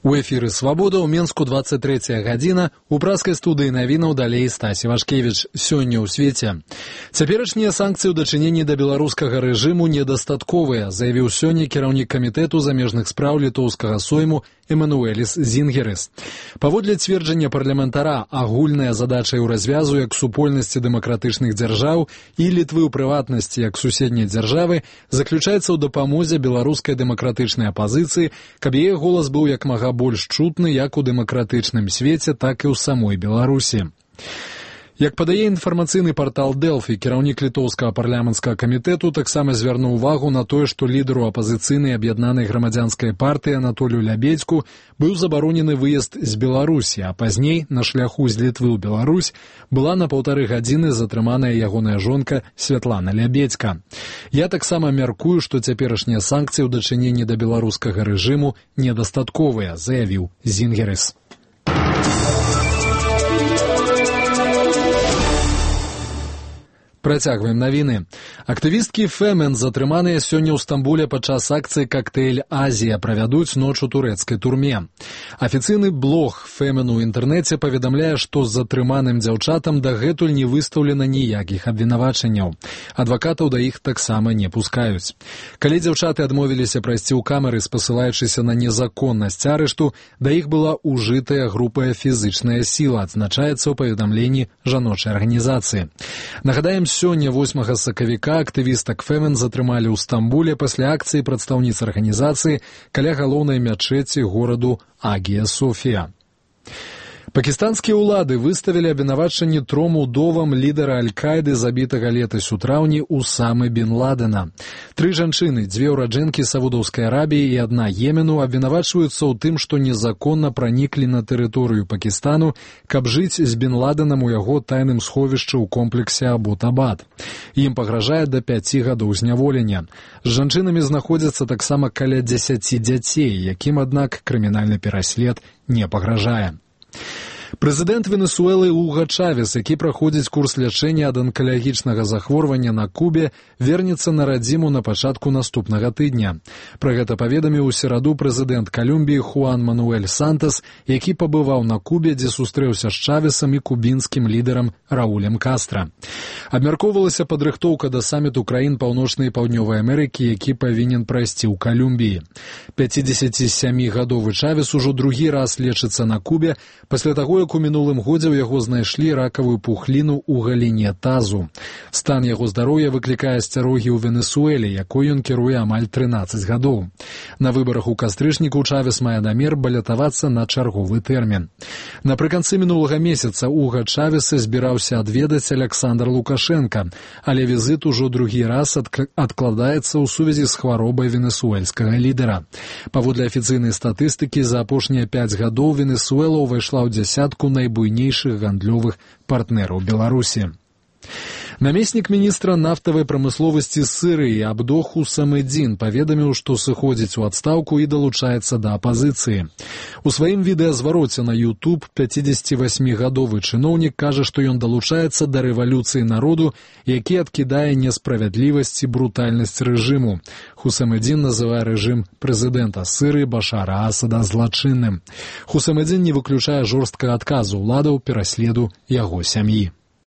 У эфіры «Свабода» ў Менску 23 гадзіна, у праскай студыі навінаў далей Стась Івашкевіч. Сёння ў свеце. Цяперашнія санкцыі ў дачыненні да беларускага рэжыму недастатковыя, заявіў сёння кіраўнік камітэту замежных спраў літоўскага сойму Эмануэліс Зінгерыс. Паводле цверджання парламентара, агульная задача ў развязу як супольнасці дэмакратычных дзяржаў і Літвы ў прыватнасці як суседняй дзяржавы заключаецца ў дапамозе беларускай дэмакратычнай апазіцыі, каб яе голас быў як мага больш чутны як у дэмакратычным свеце, так і ў самой Беларусі. Як падае інфармацыйны партал Дэлфі, кіраўнік літоўскага парламенцкага камітэту таксама звярнуў увагу на тое, што лідару апазіцыйнай аб'яднанай грамадзянскай партыі Анатолію Лябедзьку быў забаронены выезд з Беларусі, а пазней на шляху з Літвы ў Беларусь была на 1,5 гадзіны затрыманая ягоная жонка Святлана Лябедзька. Я таксама мяркую, што цяперашнія санкцыі ў дачыненні да беларускага рэжыму недастатковыя, заявіў Зінгерыс. Працягваем навіны. Актывісткі Фемен, затрыманыя сёння ў Стамбуле падчас акцыі «Коктейль Азія», правядуць ноч у турэцкай турме. Афіцыйны блог Фемен у інтэрнэце паведамляе, што з затрыманым дзяўчатам дагэтуль не выстаўлена ніякіх абвінавачанняў. Адвакатаў да іх таксама не пускаюць. Калі дзяўчаты адмовіліся прайсці ў камеры, спасылаючыся на незаконнасць арышту, да іх была ўжытая грубая фізычная сіла, адзначаецца ў паведамленні жаночай арганізацыі. Нагадаем, сёння 8 сакавіка актывістак Фемен затрымалі ў Стамбуле пасля акцыі прадстаўніц арганізацыі каля галоўнай мячэці гораду Агія Софія. Пакістанскія ўлады выставілі абвінавачанні 3 удовам лідара Аль-Каіды, забітага летась у траўні Усамы бін Ладена. 3 жанчыны, 2 ураджэнкі Саудаўскай Арабіі і 1 Йемену абвінавачваюцца ў тым, што незаконна праніклі на тэрыторыю Пакістану, каб жыць з бін Ладенам у яго тайным сховішчы ў комплексе Абу-Табад. Ім пагражае да 5 гадоў зняволення. З жанчынамі знаходзяцца таксама каля 10 дзяцей, якім, аднак, крымінальны пераслед не пагражае. Прэзідэнт Венесуэлы Уга Чавес, які праходзіць курс лячэння ад анкалагічнага захворвання на Кубе, вернецца на радзіму на пачатку наступнага тыдня. Пра гэта паведаміў у сераду прэзідэнт Калумбіі Хуан Мануэль Сантас, які пабываў на Кубе, дзе сустрэўся з Чавесам і кубінскім лідарам Раулем Кастра. Абмяркоўвалася падрыхтоўка да саміту краін Паўночнай і Паўднёвай Амерыкі, які павінен прайсці ў Калумбіі. 57-гадовы Чавес ужо другі раз лечыцца на Кубе, пасля таго, як у мінулым годзе ў яго знайшлі ракавую пухліну ў галіне тазу. Стан яго здароўя выклікае асцярогі ў Венесуэле, якой ён кіруе амаль 13 гадоў. На выбарах у кастрычніку Чавес мае намер балятавацца на чарговы тэрмін. Напрыканцы мінулага месяца Уга Чавеса збіраўся адведаць Аляксандр Лукашенка, але візіт ужо другі раз адкладаецца ў сувязі з хваробай венесуэльскага лідара. Паводле афіцыйнай статыстыкі, за апошнія 5 гадоў Венесуэла ўвайшла ў дзясятку найбуйнейшых гандлёвых партнераў Беларусі. Намеснік міністра нафтавай прамысловасці Сірыі Абдох Хусамэдзін паведаміў, што сыходзіць у адстаўку і далучаецца да апазіцыі. У сваім відэазвароце на YouTube 58-гадовы чыноўнік кажа, што ён далучаецца да рэвалюцыі народу, які адкідае несправядлівасць і брутальнасць рэжыму. Хусамэдзін называе рэжым прэзідэнта Сірыі Башара Асада злачынным. Хусамэдзін не выключае жорсткага адказу ўладаў пераследу яго сям'і.